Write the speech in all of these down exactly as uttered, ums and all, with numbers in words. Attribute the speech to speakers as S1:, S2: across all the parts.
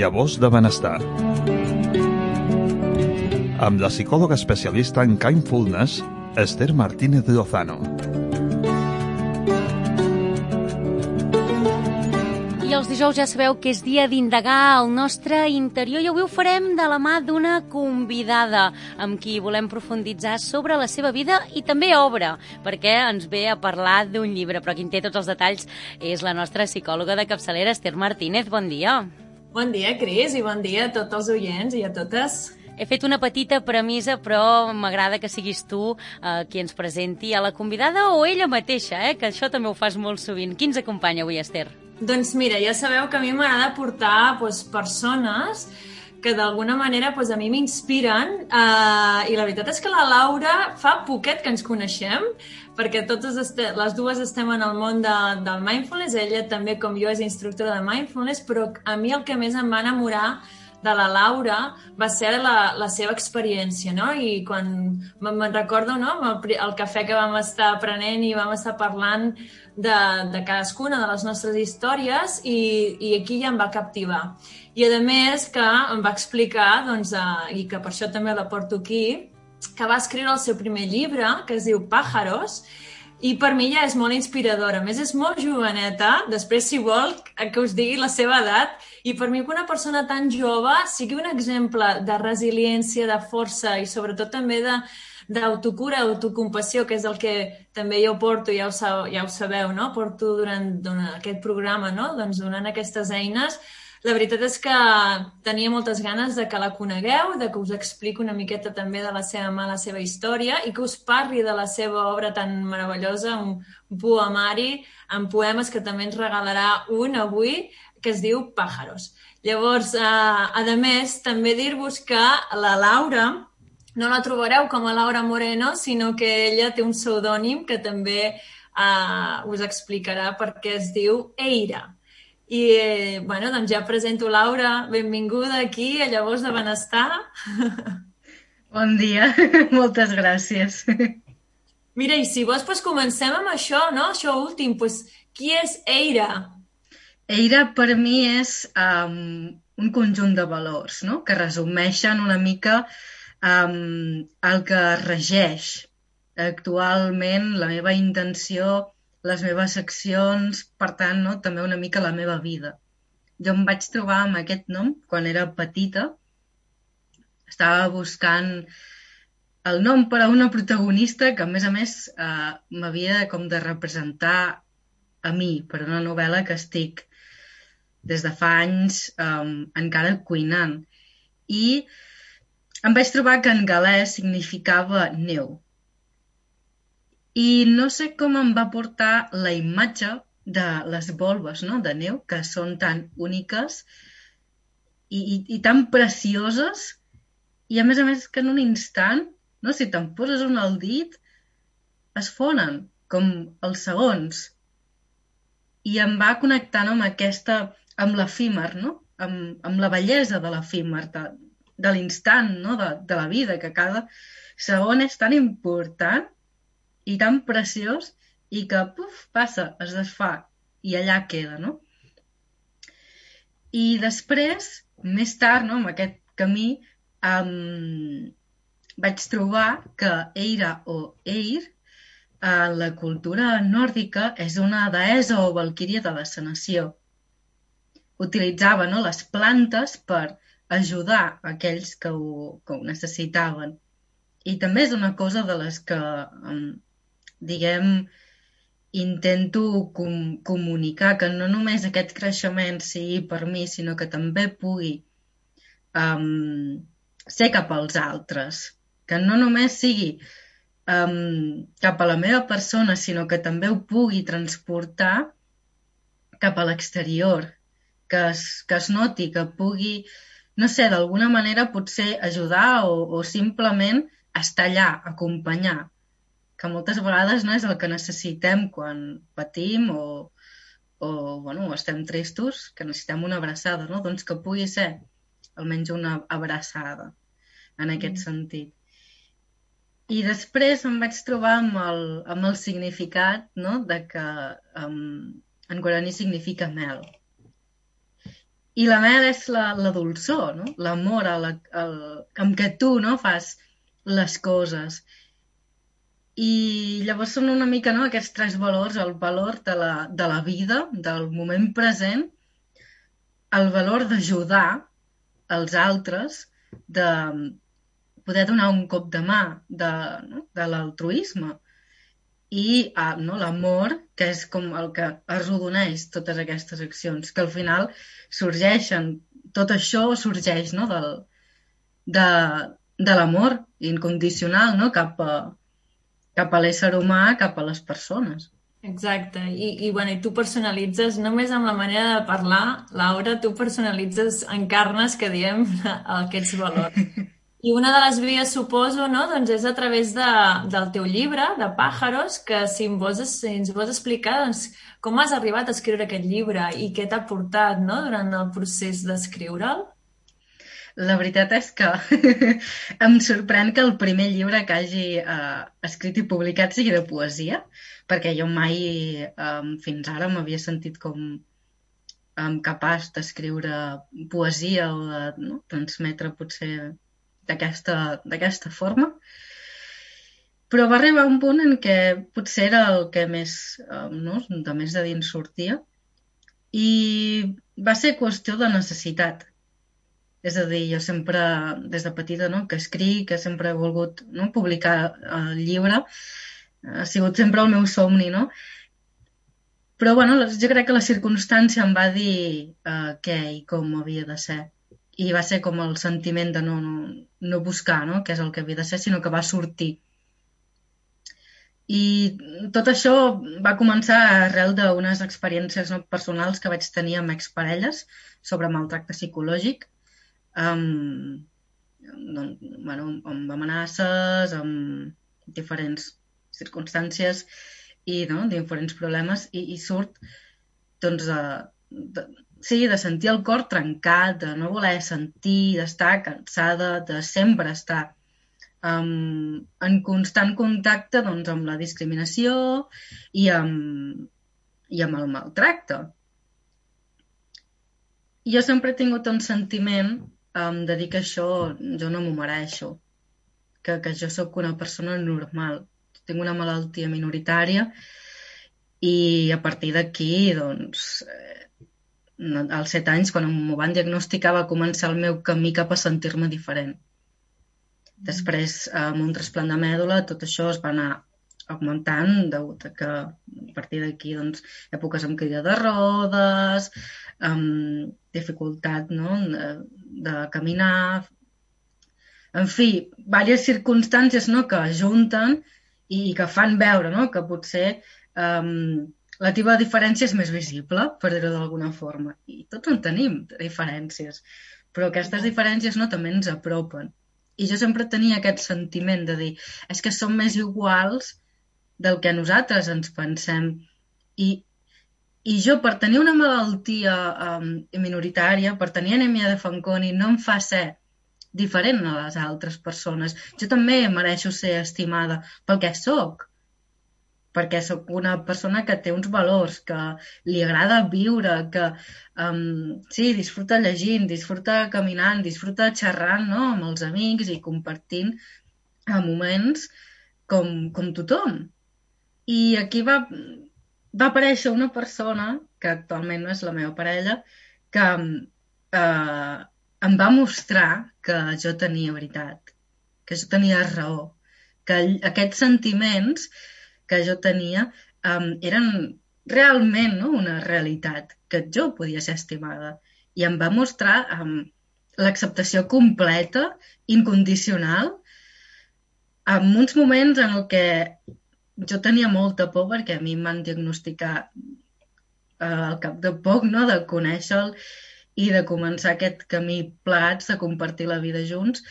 S1: Llavors de benestar. Amb la psicòloga especialista en Kindfulness, Esther Martínez Lozano.
S2: I els dijous ja sabeu que és dia d'indagar el nostre interior i avui ho farem de la mà d'una convidada amb qui volem profunditzar sobre la seva vida i també obra, perquè ens ve a parlar d'un llibre, però qui en té tots els detalls és la nostra psicòloga de capçalera, Esther Martínez. Bon dia.
S3: Bon dia, Cris, i bon dia a tots els oients i a totes.
S2: He fet una petita premissa, però m'agrada que siguis tu eh, qui ens presenti a la convidada o ella mateixa, eh, que això també ho fas molt sovint. Qui ens acompanya avui, Esther?
S3: Doncs mira, ja sabeu que a mi m'agrada portar doncs, persones que d'alguna manera doncs, a mi m'inspiren eh, i la veritat és que la Laura fa poquet que ens coneixem, perquè totes este, les dues estem en el món de, del mindfulness, ella també com jo és instructora de mindfulness, però a mi el que més em va enamorar de la Laura va ser la, la seva experiència, no? I quan me'n recordo, no?, el, el cafè que vam estar prenent i vam estar parlant de, de cadascuna de les nostres històries i, i aquí ja em va captivar. I a més que em va explicar, doncs, eh, i que per això també la porto aquí, que va escriure el seu primer llibre, que es diu Pájaros, i per mi ja és molt inspiradora. A més, és molt joveneta, després, si vol, que us digui la seva edat, i per mi que una persona tan jove sigui un exemple de resiliència, de força i sobretot també de d'autocura, autocompassió, que és el que també jo porto, ja ho, ja ho sabeu, no? Porto durant, durant aquest programa, no? Doncs donant aquestes eines. La veritat és que tenia moltes ganes de que la conegueu, de que us expliqui una miqueta també de la seva mà, la seva història i que us parli de la seva obra tan meravellosa, un poemari amb poemes que també ens regalarà un avui, que es diu Pájaros. Llavors, eh, a més, també dir-vos que la Laura no la trobareu com a Laura Moreno, sinó que ella té un pseudònim que també eh, us explicarà perquè es diu Eira. I, eh, bueno, doncs ja presento Laura, benvinguda aquí a Llavors de Benestar.
S4: Bon dia, moltes gràcies.
S3: Mira, i si vols, doncs comencem amb això, no? Això últim, doncs, qui és Eira?
S4: Eira per mi és um, un conjunt de valors, no?, que resumeixen una mica um, el que regeix actualment la meva intenció, les meves accions, per tant, no, també una mica la meva vida. Jo em vaig trobar amb aquest nom quan era petita. Estava buscant el nom per a una protagonista que, a més a més, eh, m'havia com de representar a mi per una novel·la que estic des de fa anys eh, encara cuinant. I em vaig trobar que en galès significava neu. I no sé com em va portar la imatge de les volves, no?, de neu, que són tan úniques i, i, i tan precioses, i a més a més que en un instant, no?, si te'n poses un al dit, es fonen, com els segons. I em va connectar, no?, amb aquesta, amb l'efímer, no?, amb, amb la bellesa de l'efímer, de, de l'instant, no?, de, de la vida, que cada segon és tan important i tan preciós i que, puf, passa, es desfà i allà queda, no? I després, més tard, no, amb aquest camí, um, vaig trobar que Eira o Eir, en la cultura nòrdica, és una deessa o valquíria de la sanació. Utilitzava, no, les plantes per ajudar aquells que ho, que ho necessitaven. I també és una cosa de les que um, diguem, intento com, comunicar que no només aquest creixement sigui per mi, sinó que també pugui um, ser cap als altres. Que no només sigui um, cap a la meva persona, sinó que també ho pugui transportar cap a l'exterior. Que es, que es noti, que pugui, no sé, d'alguna manera potser ajudar o, o simplement estar allà, acompanyar. Que moltes vegades no és el que necessitem quan patim o, o bueno, estem tristos, que necessitem una abraçada, no? Doncs que pugui ser almenys una abraçada en aquest mm. sentit. I després em vaig trobar amb el, amb el significat, no?, de que um, en guaraní significa mel. I la mel és la, la dolçor, no? L'amor a la, el, amb què tu, no, fas les coses. I llavors són una mica, no, aquests tres valors, el valor de la, de la vida, del moment present, el valor d'ajudar els altres, de poder donar un cop de mà, de, no, de l'altruisme, i ah, no, l'amor, que és com el que arrodoneix totes aquestes accions, que al final sorgeixen, tot això sorgeix, no, del, de, de l'amor incondicional, no, cap a, cap a l'ésser humà, cap a les persones.
S3: Exacte, I, i, bueno, i tu personalitzes només amb la manera de parlar, Laura, tu personalitzes, encarnes, que diem, aquests valors. I una de les vies, suposo, no? Doncs és a través de, del teu llibre, de Pájaros, que si, em vols, si ens vols explicar doncs, com has arribat a escriure aquest llibre i què t'ha portat, no?, durant el procés d'escriure'l.
S4: La veritat és que em sorprèn que el primer llibre que hagi eh, escrit i publicat sigui de poesia, perquè jo mai eh, fins ara m'havia sentit com eh, capaç d'escriure poesia o de, no, transmetre potser d'aquesta d'aquesta forma. Però va arribar un punt en què potser era el que més, eh, no, de més de dins sortia, i va ser qüestió de necessitat. És a dir, jo sempre, des de petita, no, que escric, que sempre he volgut, no, publicar el llibre, ha sigut sempre el meu somni, no? Però, bueno, jo crec que la circumstància em va dir eh, què i com havia de ser. I va ser com el sentiment de no, no, no buscar, no, què és el que havia de ser, sinó que va sortir. I tot això va començar arrel d'unes experiències, no, personals que vaig tenir amb exparelles sobre maltracte psicològic, amb, doncs, bueno, amb amenaces, amb diferents circumstàncies i, no, diferents problemes, i, i surt doncs, de, de, sí, de sentir el cor trencat, de no voler sentir, d'estar cansada, de sempre estar um, en constant contacte, doncs, amb la discriminació i amb, i amb el maltracte. Jo sempre he tingut un sentiment um, de dir que això jo no m'ho mereixo, que, que jo sóc una persona normal, tinc una malaltia minoritària, i a partir d'aquí, doncs, eh, als set anys, quan m'ho van diagnosticar, va començar el meu camí cap a sentir-me diferent. Després, amb un trasplant de mèdula, tot això es va anar augmentant, degut a que a partir d'aquí, doncs, èpoques amb caïda de rodes, amb dificultat, no?, de, de caminar, en fi, diverses circumstàncies, no?, que ajunten i que fan veure, no?, que potser um, la teva diferència és més visible, per dir-ho d'alguna forma. I tots en tenim, diferències, però aquestes diferències, no, també ens apropen. I jo sempre tenia aquest sentiment de dir, és que som més iguals del que nosaltres ens pensem. I, i jo, per tenir una malaltia um, minoritària, per tenir anèmia de Fanconi, no em fa ser diferent a les altres persones. Jo també mereixo ser estimada pel que sóc, perquè sóc una persona que té uns valors, que li agrada viure, que um, sí, disfruta llegint, disfruta caminant, disfruta xerrant, no?, amb els amics i compartint a moments com, com tothom. I aquí va, va aparèixer una persona, que actualment no és la meva parella, que eh, em va mostrar que jo tenia veritat, que jo tenia raó, que aquests sentiments que jo tenia um, eren realment, no?, una realitat, que jo podia ser estimada. I em va mostrar um, l'acceptació completa, incondicional, en uns moments en què jo tenia molta por, perquè a mi em van diagnosticar uh, al cap de poc, no?, de conèixer-lo i de començar aquest camí plegats de compartir la vida junts,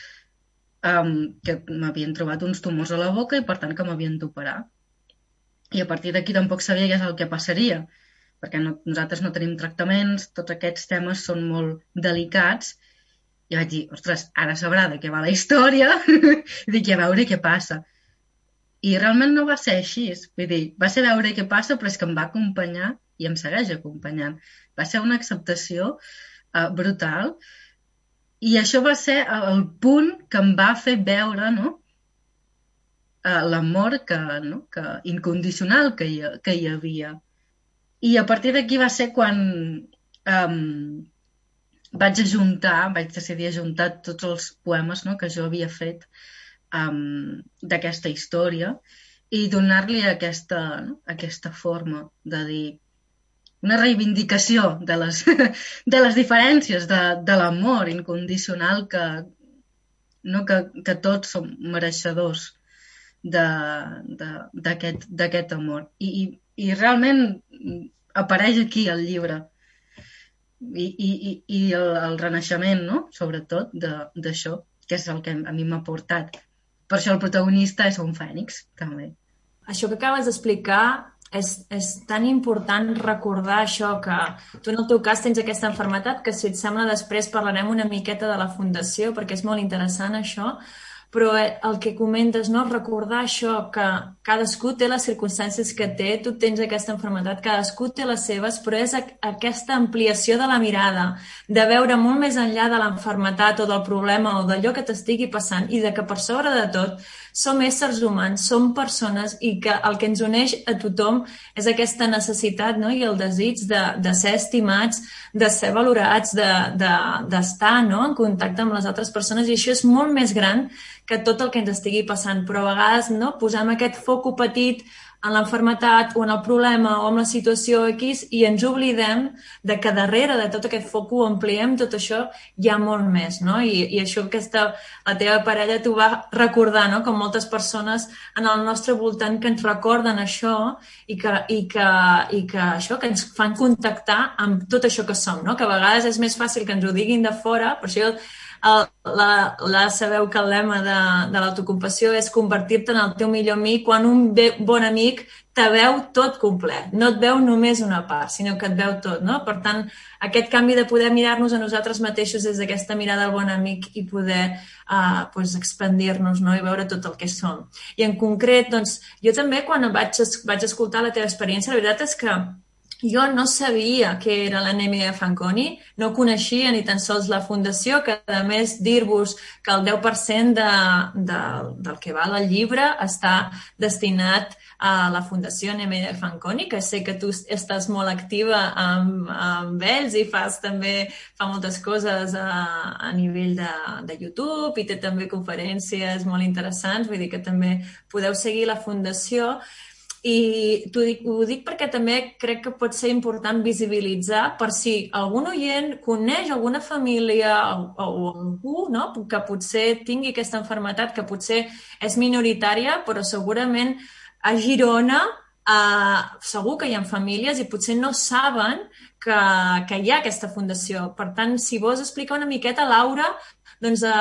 S4: um, que m'havien trobat uns tumors a la boca i per tant que m'havien d'operar. I a partir d'aquí tampoc sabia què és el que passaria, perquè no, nosaltres no tenim tractaments, tots aquests temes són molt delicats, i vaig dir, ostres, ara sabrà de què va la història, i dic, a veure què passa. I realment no va ser així, vull dir, va ser veure què passa, però és que em va acompanyar i em segueix acompanyant. Va ser una acceptació uh, brutal. I això va ser el punt que em va fer veure, no?, uh, l'amor que, no?, que, incondicional que hi, que hi havia. I a partir d'aquí va ser quan um, vaig ajuntar, vaig decidir ajuntar tots els poemes, no?, que jo havia fet um, d'aquesta història i donar-li aquesta, no?, aquesta forma de dir una reivindicació de les, de les diferències, de, de l'amor incondicional que, no, que, que tots som mereixedors d'aquest amor. I, i, I realment apareix aquí el llibre. I, i, i el, el renaixement, no?, sobretot, d'això, que és el que a mi m'ha portat. Per això el protagonista és un fènix, també.
S3: Això que acabes d'explicar és, és tan important recordar això, que tu en el teu cas tens aquesta malaltia, que si et sembla després parlarem una miqueta de la fundació, perquè és molt interessant això, però el que comentes, no?, recordar això, que cadascú té les circumstàncies que té, tu tens aquesta malaltia, cadascú té les seves, però és aquesta ampliació de la mirada, de veure molt més enllà de la malaltia o del problema o d'allò que t'estigui passant, i de que per sobre de tot som éssers humans, som persones, i que el que ens uneix a tothom és aquesta necessitat, no?, i el desig de, de ser estimats, de ser valorats, d'estar de, de, no?, en contacte amb les altres persones, i això és molt més gran que tot el que ens estigui passant, però a vegades, no?, posem aquest foco petit en l'enfermetat o en el problema o en la situació X i ens oblidem de que darrere de tot aquest foco ampliem tot això, hi ha molt més, no? I, i això que aquesta, la teva parella t'ho va recordar, no?, com moltes persones en el nostre voltant que ens recorden això i que, i que, i que això que ens fan contactar amb tot això que som, no? Que a vegades és més fàcil que ens ho diguin de fora, per això El, la, la sabeu que el lema de, de l'autocompassió és convertir-te en el teu millor amic quan un bé, bon amic te veu tot complet, no et veu només una part, sinó que et veu tot, no? Per tant, aquest canvi de poder mirar-nos a nosaltres mateixos des d'aquesta mirada del bon amic i poder uh, pues, expandir-nos, no?, i veure tot el que som. I en concret, doncs, jo també quan vaig, vaig escoltar la teva experiència, la veritat és que jo no sabia què era l'anèmia de Fanconi, no coneixia ni tan sols la fundació, que a més dir-vos que el deu per cent de, de, del que val el llibre està destinat a la Fundació Anèmia de Fanconi, que sé que tu estàs molt activa amb, amb ells i fas també fa moltes coses a, a nivell de, de YouTube i té també conferències molt interessants, vull dir que també podeu seguir la fundació. I t'ho dic, ho dic perquè també crec que pot ser important visibilitzar per si algun oient coneix alguna família o, o algú, no?, que potser tingui aquesta malaltia, que potser és minoritària, però segurament a Girona eh, segur que hi ha famílies i potser no saben que, que hi ha aquesta fundació. Per tant, si vols explicar una miqueta, Laura, doncs eh,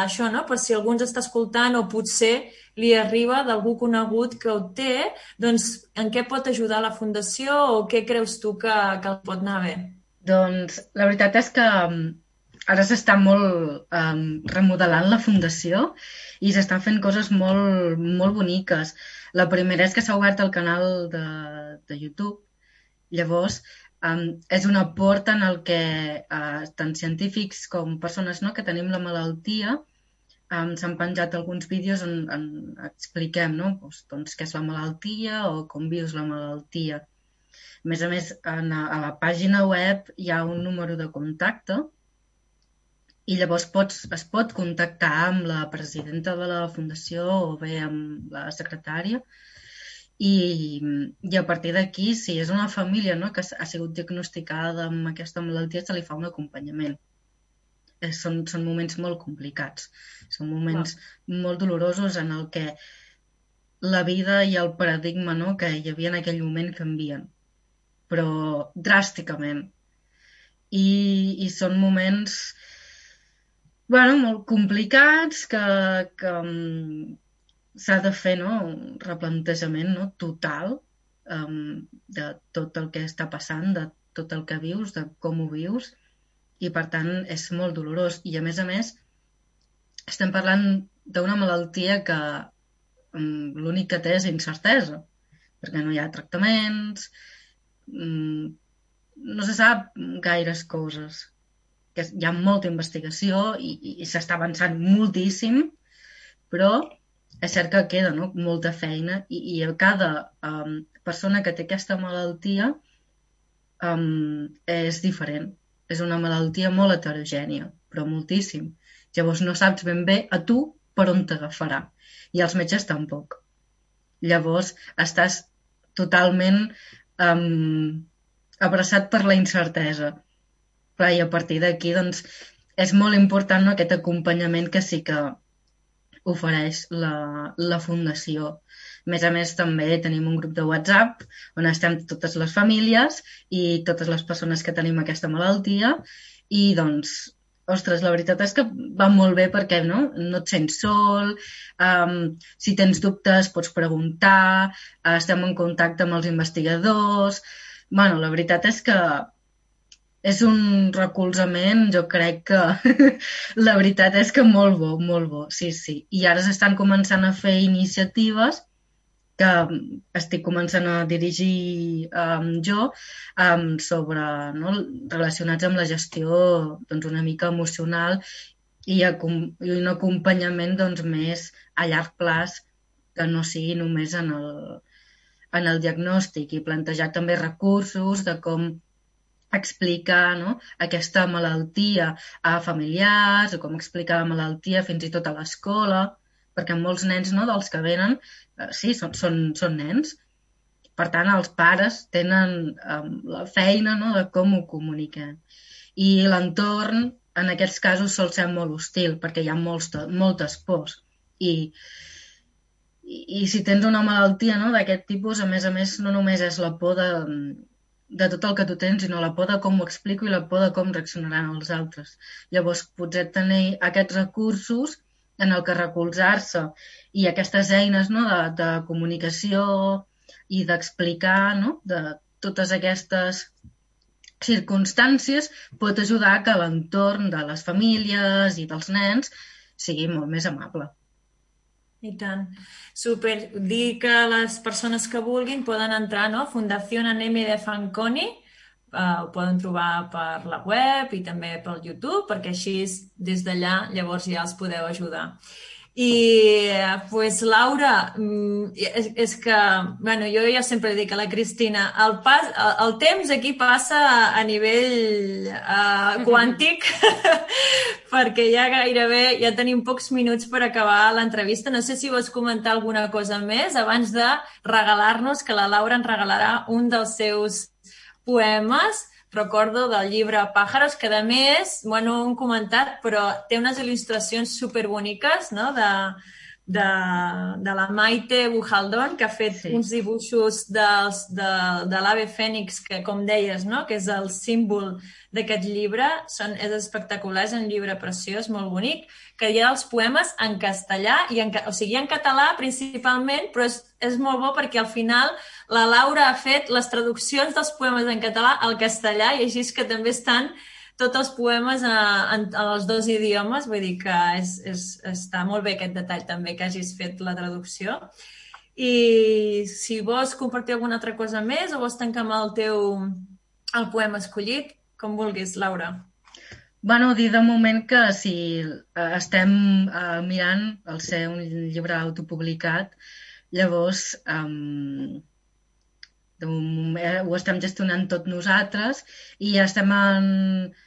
S3: això, no?, per si algú ens està escoltant o potser li arriba d'algú conegut que ho té, doncs en què pot ajudar la Fundació o què creus tu que, que el pot anar bé?
S4: Doncs la veritat és que ara s'està molt um, remodelant la Fundació i s'estan fent coses molt, molt boniques. La primera és que s'ha obert el canal de, de YouTube. Llavors, um, és una porta en el que uh, tant científics com persones, no?, que tenim la malaltia, Um, s'han penjat alguns vídeos on, on expliquem, no?, doncs, doncs, què és la malaltia o com vius la malaltia. A més a més, en, a la pàgina web hi ha un número de contacte i llavors pots, es pot contactar amb la presidenta de la fundació o bé amb la secretària i, i a partir d'aquí, si és una família, no?, que ha sigut diagnosticada amb aquesta malaltia, se li fa un acompanyament. Són, són moments molt complicats, són moments wow. molt dolorosos en el que la vida i el paradigma, no?, que hi havia en aquell moment canvien, però dràsticament. I, i són moments bueno, molt complicats que, que um, s'ha de fer, no?, un replantejament, no?, total um, de tot el que està passant, de tot el que vius, de com ho vius. I, per tant, és molt dolorós. I, a més a més, estem parlant d'una malaltia que um, l'únic que té és incertesa, perquè no hi ha tractaments, um, no se sap gaires coses. que hi ha molta investigació i, i, i s'està avançant moltíssim, però és cert que queda, no?, molta feina i, i a cada um, persona que té aquesta malaltia um, és diferent. És una malaltia molt heterogènia, però moltíssim. Llavors no saps ben bé a tu per on t'agafarà. I els metges tampoc. Llavors estàs totalment um, abraçat per la incertesa. Clar, i a partir d'aquí, doncs, és molt important, no?, aquest acompanyament que sí que ofereix la, la Fundació. A més a més, també tenim un grup de WhatsApp on estem totes les famílies i totes les persones que tenim aquesta malaltia i, doncs, ostres, la veritat és que va molt bé perquè no, no et sents sol, um, si tens dubtes pots preguntar, estem en contacte amb els investigadors. Bueno, la veritat és que és un recolzament, jo crec que la veritat és que molt bo, molt bo, sí, sí. I ara s'estan començant a fer iniciatives que estic començant a dirigir um, jo um, sobre, no, relacionats amb la gestió doncs, una mica emocional i, i un acompanyament doncs, més a llarg plaç que no sigui només en el, en el diagnòstic i plantejar també recursos de com explicar, no?, aquesta malaltia a familiars o com explicar la malaltia fins i tot a l'escola, perquè molts nens, no?, dels que venen, eh, sí, són, són, són nens. Per tant, els pares tenen eh, la feina, no?, de com ho comuniquen. I l'entorn, en aquests casos, sol ser molt hostil, perquè hi ha molts, moltes pors. I, i, i si tens una malaltia, no?, d'aquest tipus, a més a més, no només és la por de, de tot el que tu tens, sinó la por de com ho explico i la por de com reaccionaran els altres. Llavors, potser tenir aquests recursos en el que recolzar-se i aquestes eines, no?, de, de comunicació i d'explicar, no?, de totes aquestes circumstàncies pot ajudar que l'entorn de les famílies i dels nens sigui molt més amable.
S3: I tant. Super. Dir que les persones que vulguin poden entrar, no?, Fundación Anemia de Fanconi, Uh, ho poden trobar per la web i també pel YouTube, perquè així des d'allà llavors ja els podeu ajudar. I pues, Laura, és, és que bueno, jo ja sempre dic a la Cristina, el, pas, el, el temps aquí passa a nivell uh, quàntic perquè ja gairebé ja tenim pocs minuts per acabar l'entrevista. No sé si vols comentar alguna cosa més abans de regalar-nos, que la Laura ens regalarà un dels seus poemes, recordo, del llibre Pájaros, que a més, bueno, ho hem comentat, però té unes il·lustracions superboniques, no?, de, de, de la Maite Bujaldón, que ha fet sí. uns dibuixos dels, de, de l'ave fènix, que, com deies, no?, que és el símbol d'aquest llibre. Són, és espectacular, és un llibre preciós, molt bonic, que hi ha els poemes en castellà, i en, o sigui, en català principalment, però és, és molt bo perquè al final la Laura ha fet les traduccions dels poemes en català al castellà i així és que també estan tots els poemes a, a, a els dos idiomes, vull dir que és, és, està molt bé aquest detall també que hagis fet la traducció. I si vols compartir alguna altra cosa més o vols tancar amb el teu el poema escollit, com vulguis, Laura.
S4: Bueno, dir de moment que si estem uh, mirant el ser un llibre autopublicat, llavors um, ho estem gestionant tot nosaltres i estem en,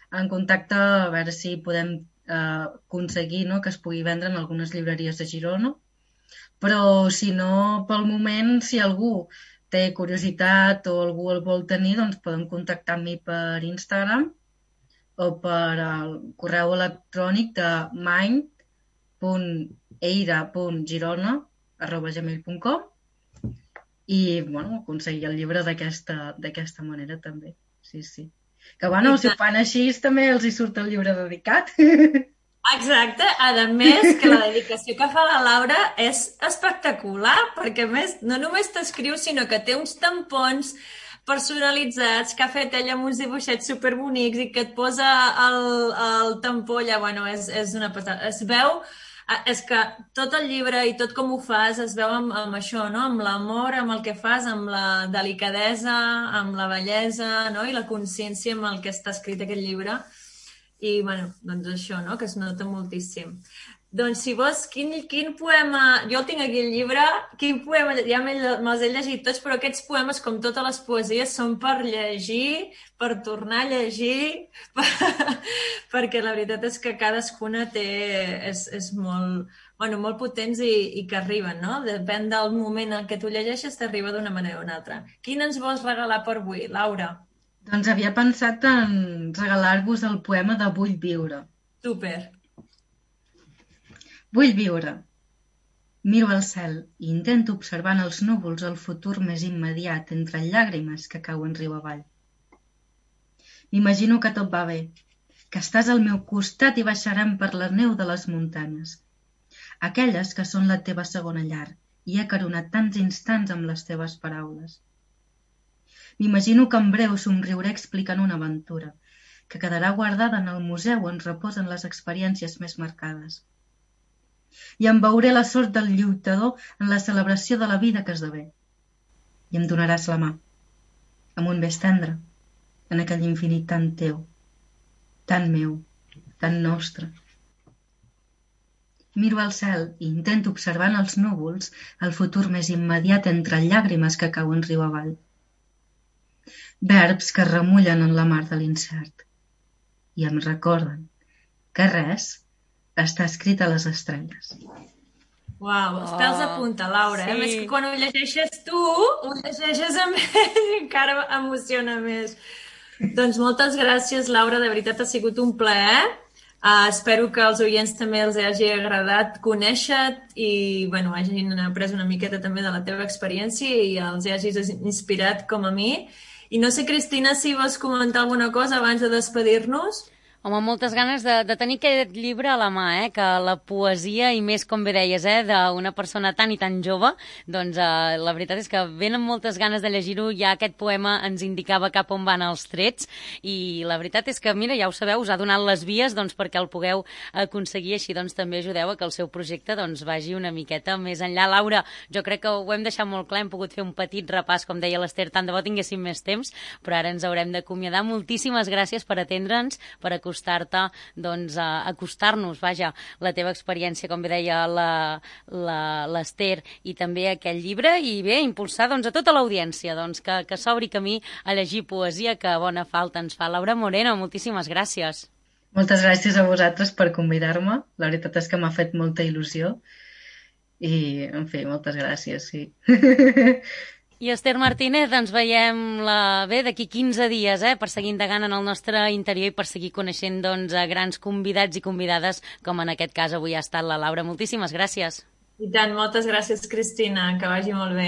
S4: en contacte a veure si podem eh, aconseguir, no?, que es pugui vendre en algunes llibreries de Girona. Però si no, pel moment, si algú té curiositat o algú el vol tenir, doncs poden contactar amb mi per Instagram o per el correu electrònic de mind punt eira punt girona arroba gmail punt com i, bueno, aconseguir el llibre d'aquesta d'aquesta manera també, sí, sí. Que, bueno, si ho fan així també els hi surt el llibre dedicat.
S3: Exacte, a més que la dedicació que fa la Laura és espectacular, perquè a més no només t'escriu, sinó que té uns tampons personalitzats que ha fet ella amb uns dibuixets superbonics i que et posa el, el tampó allà, bueno, és, és una passada. Es veu, és que tot el llibre i tot com ho fas es veu amb, amb això, no? Amb l'amor, amb el que fas, amb la delicadesa, amb la bellesa, no? I la consciència amb el que està escrit aquest llibre. i, bueno, doncs això, no?, que es nota moltíssim. Doncs, si vols, quin, quin poema... Jo el tinc aquí al llibre, quin poema... Ja me'ls he llegit tots, però aquests poemes, com totes les poesies, són per llegir, per tornar a llegir, per... perquè la veritat és que cadascuna té... és, és molt, bueno, molt potents i, i que arriben, no? Depèn del moment en què tu llegeixes, t'arriba d'una manera o una altra. Quin ens vols regalar per avui, Laura?
S4: Doncs havia pensat en regalar-vos el poema de Vull viure.
S3: Super.
S4: Vull viure. Miro al cel i intento observar en els núvols el futur més immediat entre llàgrimes que cauen riu avall. M'imagino que tot va bé, que estàs al meu costat i baixarem per la neu de les muntanyes, aquelles que són la teva segona llar i he caronat tants instants amb les teves paraules. M'imagino que en breu somriuré explicant una aventura, que quedarà guardada en el museu on reposen les experiències més marcades. I em veuré la sort del lluitador en la celebració de la vida que esdevé. I em donaràs la mà, amb un bes tendre, en aquell infinit tan teu, tan meu, tan nostre. Miro al cel i intento observar en els núvols el futur més immediat entre llàgrimes que cauen riu avall. Verbs que remullen en la mar de l'incert i em recorden que res està escrit a les estrelles.
S3: Uau, els pèls de punta, Laura. Sí. Eh? A més que quan ho llegeixes tu, ho llegeixes amb ell i encara emociona més. Doncs moltes gràcies, Laura. De veritat ha sigut un plaer. Uh, espero que als oients també els hagi agradat conèixer-te i bueno, hagin après una miqueta també de la teva experiència i els hagis inspirat com a mi. I no sé, Cristina, si vols comentar alguna cosa abans de despedir-nos?
S2: Home, moltes ganes de, de tenir aquest llibre a la mà, eh? Que la poesia, i més, com bé deies, eh? d'una persona tan i tan jove, doncs eh, la veritat és que venen moltes ganes de llegir-ho. Ja aquest poema ens indicava cap on van els trets, i la veritat és que, mira, ja ho sabeu, us ha donat les vies doncs, perquè el pugueu aconseguir, així doncs també ajudeu a que el seu projecte doncs, vagi una miqueta més enllà. Laura, jo crec que ho hem deixat molt clar, hem pogut fer un petit repàs, com deia l'Ester, tant de bo tinguéssim més temps, però ara ens haurem d'acomiadar. Moltíssimes gràcies per atendre'ns, per acostar acostar-te, doncs, a acostar-nos, vaja, la teva experiència, com bé deia l'Ester, i també aquest llibre, i bé, impulsar doncs, a tota l'audiència, doncs, que, que s'obri camí a llegir poesia, que bona falta ens fa. Laura Moreno, moltíssimes gràcies.
S4: Moltes gràcies a vosaltres per convidar-me. La veritat és que m'ha fet molta il·lusió i, en fi, moltes gràcies, sí.
S2: I Ester Martínez, ens veiem la... bé d'aquí quinze dies, eh, per seguir indagant en el nostre interior i per seguir coneixent doncs, a grans convidats i convidades, com en aquest cas avui ha estat la Laura. Moltíssimes gràcies.
S3: I tant, moltes gràcies, Cristina, que vagi molt bé.